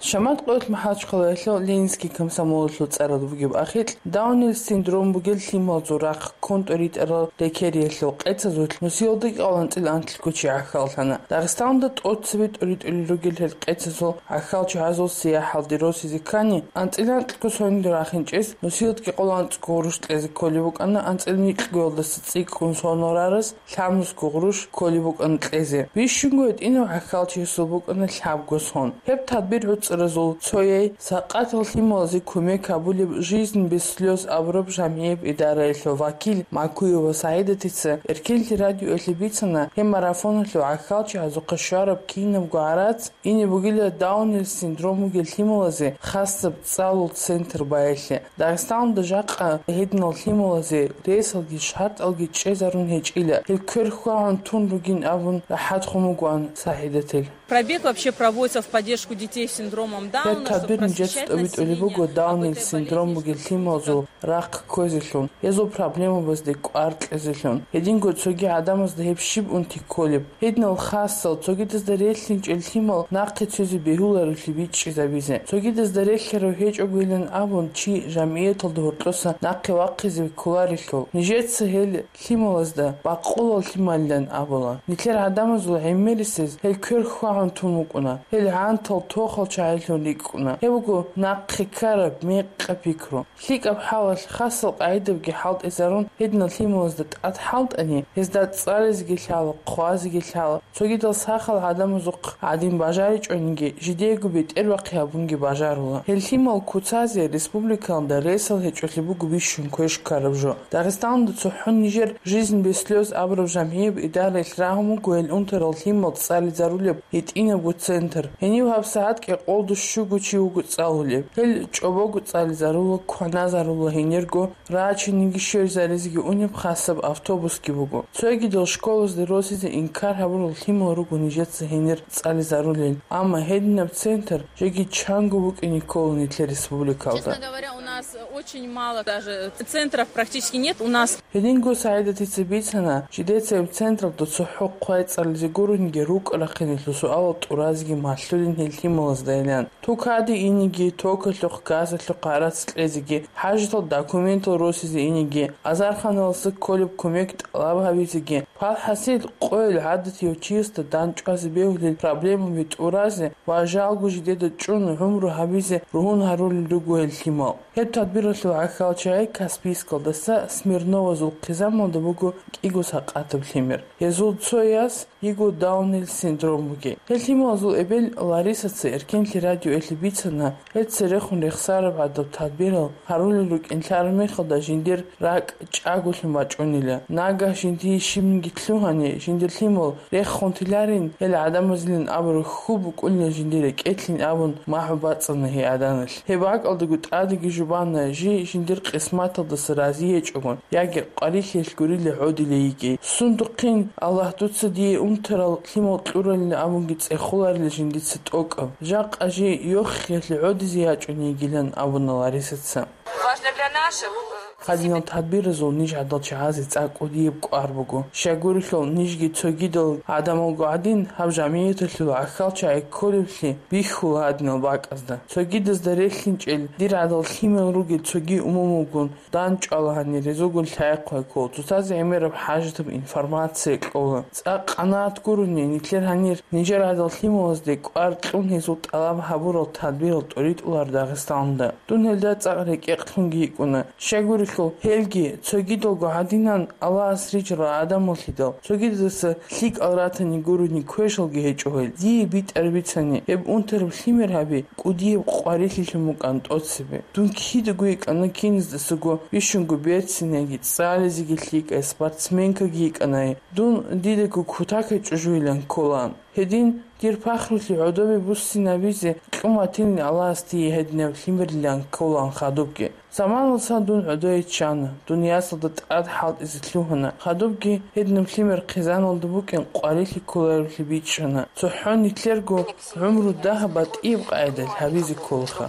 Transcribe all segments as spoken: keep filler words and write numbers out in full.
Шамат къоялъ МахӀачхъалаялъул Ленинский комсомолалъул цӀаралда бугеб ахикь, Даунил синдром бугел лъималазул рахъ ккун тӀоритӀарал рекериялъул къецазулъ нусиялда кӀикъоялда анцӀила анлъго чи гӀахьаллъана. Дагъистаналда тӀоцебе тӀоритӀулел ругел гьел къецазул гӀахьалчагӀазул сияхӀалде росизе ккани, анцӀила анлъго сонилда рахинчӀес нусиялда кӀикъоялда анцӀго гъурущ кьезе кколеб букӀана, анцӀила нилъгоялдаса цӀикӀкӀун сонал рарас лъабнусго гъурущ кколеб букӀана кьезе. Бищунго гьитӀинав гӀахьалчиясул букӀана лъабго сон. Гьеб тадбир гӀуцӀаразул цояй, сакъатал лъималазе кумек гьабулеб «Жизнь без слёз» абураб жамгӀияб идараялъул вакил Макуева СагӀидатица Эркенлъи радиоялъе бицана, гьеб марафоналъул гӀахьалчагӀазухъе щвараб кинабго гӀарац ине бугила Даунил синдром бугел лъималазе хасаб цӀалул центр баялъе. Дагъистаналда жакъа гьединал лъималазе ресалги шартӀалги чӀезарун гьечӀила, гьел квер хьвагӀун тун ругин абун рахӀатхун вугоан СагӀидатил. Пробег вообще проводится в поддержку детей с синдромом Дауна, чтобы просвещать население об этой болезни, об этой болезни. Гьеб тадбирни жакъа тӀобитӀулеб буго Даунил синдром бугел лъималазул рахъ кквезелъун, гьезул проблемабазде кӀвар кьезелъун. Гьединго цоги гӀадамазда гьеб щиб унти кколеб? Гьединал хасал, цогидазда релълъинчӀел лъимал нахъе цозе бегьуларевлъи бичӀчӀизабизе. Цогидазда релълъарав гьечӀогойилан абун, чи жамгӀияталда гьоркьоса нахъе вахъизе кколарелъул. Нижеца гьел лъималазда бакъулал лъималилан абула. Нилъер гӀадамазул гӀемерисез гьел квер хьвагӀун тун вукӀуна. Гьел гӀантал тохал чагӀилъун рикӀкӀуна. Гьеб буго нахъе ккараб мекъаб пикру. ЛъикӀаб хӀалалъ хасал къагӀидабги хӀалтӀизарун, гьединал лъималазда тӀад хӀалтӀани, гьезда цӀализеги лъала, хъвазеги лъала. Цогидал сахал гӀадамазухъ гӀадин бажаричӀониги, жидеего бетӀербахъи гьабунги бажарула. Гьел лъимал куцазе республикалда ресал гьечӀолъи буго бищун квеш ккараб жо. Дагъистаналда цохӀо нижер «Жизнь без слёз» абураб жамгӀияб идараялъ рагьун буго гьел унтарал лъимал цӀализарулеб гьитӀинабго центр. Гьенив гьабсагӀат кӀикъоялда щуго чи вуго цӀалулеб. Гьел чӀобого цӀализарула, кваназарула гьенирго, рачиниги щвезаризеги унеб хасаб автобусги буго. Цогидал школазде росизе инкар гьабурал лъимал руго нижеца гьенир цӀализарулел, амма гьединаб центр жеги чанго букӀине ккола нилъер республикалда. Честно говоря, у нас очень мало даже центров практически нет. У нас Гьединго СагӀидатица бицана, жидеца гьеб централда цохӀо хъвай цӀализе гурониги рукӀа-рахъинелъул суалал тӀуразеги малъулин гьел лъималаздайилан. Тукаде инеги, токалъухъ, газалъухъ гӀарац кьезеги, хӀажатал документал росизе инеги, азарханалдаса кколеб кумек тӀалаб гьабизеги, палхӀасил къойил гӀадатияв чиясда дандчӀвазе бегьулел проблемаби тӀуразе ва жалго жидеда чӀун гӀумру гьабизе ругьун гьарулел руго гьел лъимал. Гьеб тадбиралъул гӀахьалчагӀи Каспийскалдаса Смирновазул хъизамалда буго кӀиго сакъатаб лъимер. Гьезул цояс йиго Даунил синдром бугеб. Гьел лъималазул эбел Ларисаца Эркенлъи радиоялъе бицана, гьел церехун рехсараб гӀадаб тадбирал гьарулел рукӀин лъараб мехалда жиндир ракӀ чӀаголъун бачӀунила. Нагагь жиндие щибниги лъугьани, жиндир лъимал рехун тиларин, гьел гӀадамазилан абураб хьул букӀунила жиндир рекӀелъин абун, махӀ бацӀцӀана гьей гӀаданалъ. Гьеб бакӀалдаго тӀадеги жубана, жий жиндир къисматалдаса рази гьечӀогун, яги къварилъиялъ гурила гӀодилей йигей. Сундухъин, Аллагь, дуца дие унтарал лъимал кьуралин абунги цӀехоларила жиндица тӀокӀаб. Жакъа жий йохиялъе гӀодизе ячӀун йигилан абуна Ларисаца. Важно для наших, э, Гьадинал тадбиразул ниж гӀадал чагӀазе цӀакъ кӀудияб кӀвар буго. Щайгурелъул нижги цогидал гӀадамалго гӀадин, гьаб жамигӀаталъул гӀахьалчагӀи кколеблъи бихьула гьадинал бакӀазда. Цогидазда релълъинчӀел дир гӀадал лъимал ругел цоги умумулгун дандчӀвала гьанир, гьезулгун лъай-хъвай ккола, цоцазе гӀемераб хӀажатаб информация кьола. ЦӀакъ къанагӀат гурони, нилъер гьанир нижер гӀадал лъималазде кӀвар кьун гьезул тӀалаб гьабурал тадбирал тӀоритӀулар Дагъистанда. Дун гьелда цӀакъ рекӀекълъунги йикӀуна. Щайгурелъул, гьелги, цогидалго гьадинан Аллагьас рижарал гӀадамаллъидал, цогидаса лъикӀал ратани гурони квешалги гьечӀо гьел. Дие битӀар бицани, гьеб унтараб лъимер гьаби кӀудияб къварилъилъун букӀан тӀоцебе. Дун кидаго йикӀана киназдасаго, бищунго берцинайги, цӀализеги лъикӀай спортсменкаги йикӀанай. Дун дидаго кутакай чӀужуйилан кколаан. Гьедин, дир пахрулъи гӀодобе буссинабизе кьун батилин Аллагьас дие гьединаб лъимерлъан кколаан хадубги. Заманалдасан дун гӀодое чӀана, дун ясалда тӀад хӀалтӀизе лъугьана. Хадубги гьединаб лъимер хъизаналда букӀин къварилъи кколаревлъи бичӀчӀана. ЦохӀо нилъерго гӀумру дагьаб батӀияб къайдалъ гьабизе кколаха.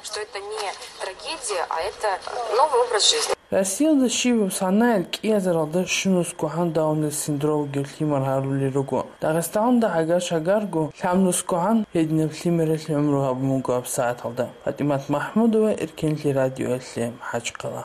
Что это не трагедия, а это новый образ жизни. Россиялда щибаб санаялъ кӀиазаралда щунусго гьан Даунил синдром вугев лъимер гьарулел руго. Дагъистаналда гӀагар-шагарго лъабнусго гьан гьединаб лъимералъ гӀумру гьабун буго гьабсагӀаталда. ПатӀимат МахӀмудова, Эркенлъи радиоялъе, МахӀачхъала.